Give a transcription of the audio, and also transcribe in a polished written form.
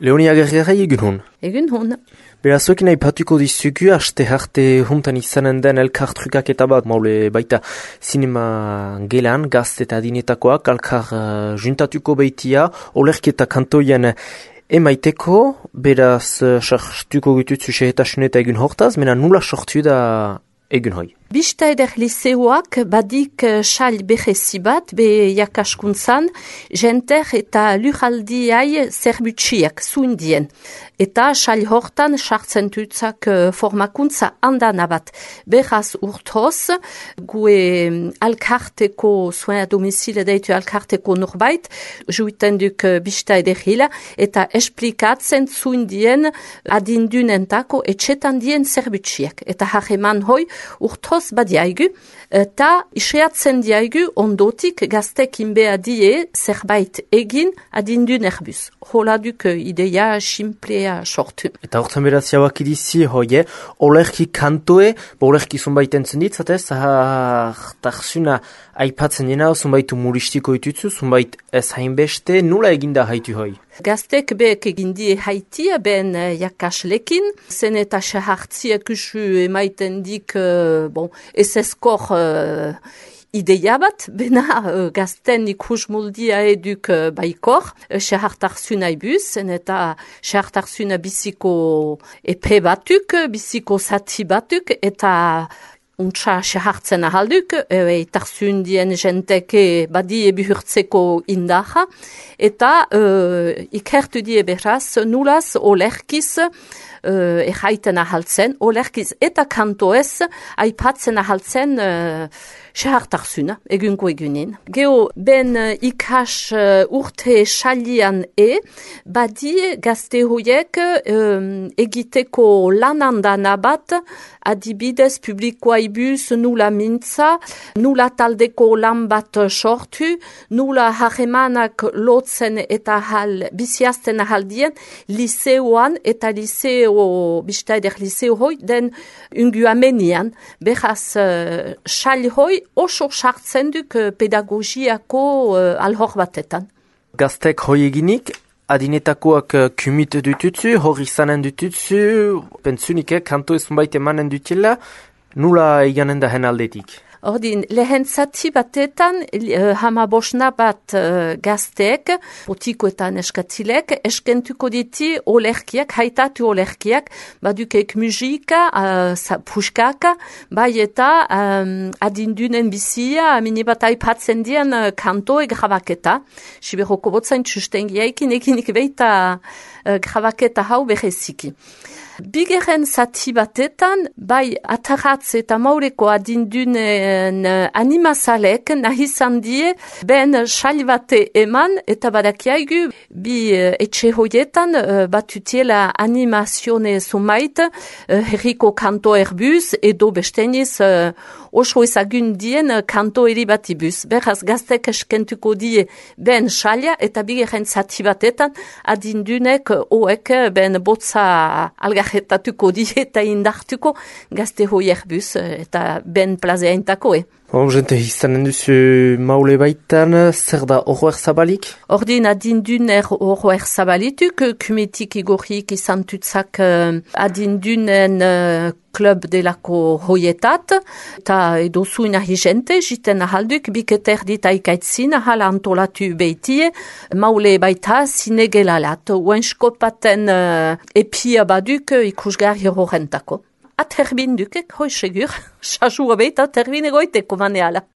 Leonia Gergerai egun hon. Egun hon. Berazuekin aipatuko dizugu, aste harte juntan izanen den elkartrukaketa bat, maule baita sinema gelan, gazte eta adinetakoak, alkar juntatuko baitia, olerketa kantoien emaiteko, beraz sartuko gututzu sehetasuneta egun hortaz, mena nula sortu da egun hoi. Bista eder liseoak badik xal behezi bat, be jakaskuntzan, jenter eta lujaldiai zerbutsiak zuindien. Eta xal hortan sartzen tutzak formakuntza andana bat. Beraz urtoz, gue alkarteko, soin a domicile deitu alkarteko norbait, juiten duk bista eder hila, eta esplikatzen zuindien adindunentako etxetan dien zerbutsiak. Eta hageman hoi urtoz badiaigu, eta isreatzen diaigu ondotik gaztekin beha die zerbait egin adindun erbuz. Hola duk ideia simplea sortu. Eta hortzen beraz jauak idizi hoie, olerki kantoe, olerki zunbait entzun ditzatez, zahartarzuna aipatzen dena, zunbaitu muristiko itutzu, zunbait ez hainbeste, nula eginda haitu hoi? Gaztek behek egindie haitia ben jakaslekin, zen eta sahartziak usu emaiten dik, ez eskor ideia bat, bena gazten ikus muldia eduk baikor, sahartarzuna ibuz, zen eta sahartarzuna biziko epe batuk, biziko zati batuk, eta untsa sahartzen ahalduk, tarzundien jenteke badie bihurtzeko indaha, eta ikertu die beraz nulaz olerkiz erraiten ahaltzen, olerkiz eta kantoez aipatzen ahaltzen sahartarzuna, egunko egunin. Geo, ben ikas urte xalian badie gazte hoiek egiteko lanandana bat, adibidez publikoa ibuz nula mintza, nula taldeko lan bat sortu, nula harremanak lotzen eta biziazten ahaldien, liseoan eta bista eder liseo hoi, den unguamenian, beraz xali hoi, oso sartzen duk pedagogiako alhor batetan. Gaztek hoi eginik, adinetakoak kumit dututzu, hor izanen dututzu, pentsunik kanto ezun baita emanen dutela, nula eganen da hen aldetik? Ordin, lehen zati batetan, hamabosna bat gazteek, botikoetan eskatzilek, eskentuko diti olerkiak, haitatu olerkiak, badukek musika, puskaka, bai eta adindunen bizia, minibat aipatzen dien kantoe grabaketa. Siberoko botzain txustengiaikin ekinik beita grabaketa hau beheziki. Bigeren zati batetan, bai ataratz eta maureko adindunen animazalek nahizan die ben xal bate eman eta badakiaigu bi etxe hoietan batutiela animazione zumait herriko kanto erbuz edo besteniz oso ezagun dien kanto eri bat ibuz. Beraz gaztek eskentuko die ben xalia eta bigeren zati batetan adindunek oek ben botza algarretatuko die eta indartuko gazte hoi erbuz eta ben plazea intako. Jente izanen duzu maule baitan, zer da horroer zabalik? Ordin adinduner horroer zabalituk, kumetik igorrik izan tutzak adindunen klub delako hoietat, eta edozuin ahi jente, jiten ahalduk, biketer dit aikaitzin, ahal antolatu beitie, maule baita zinegelalat, uenskopaten epia baduk ikusgarri horrentako. Aterbin dukek, hoi segur, sasua beita aterbin egoiteko maneala.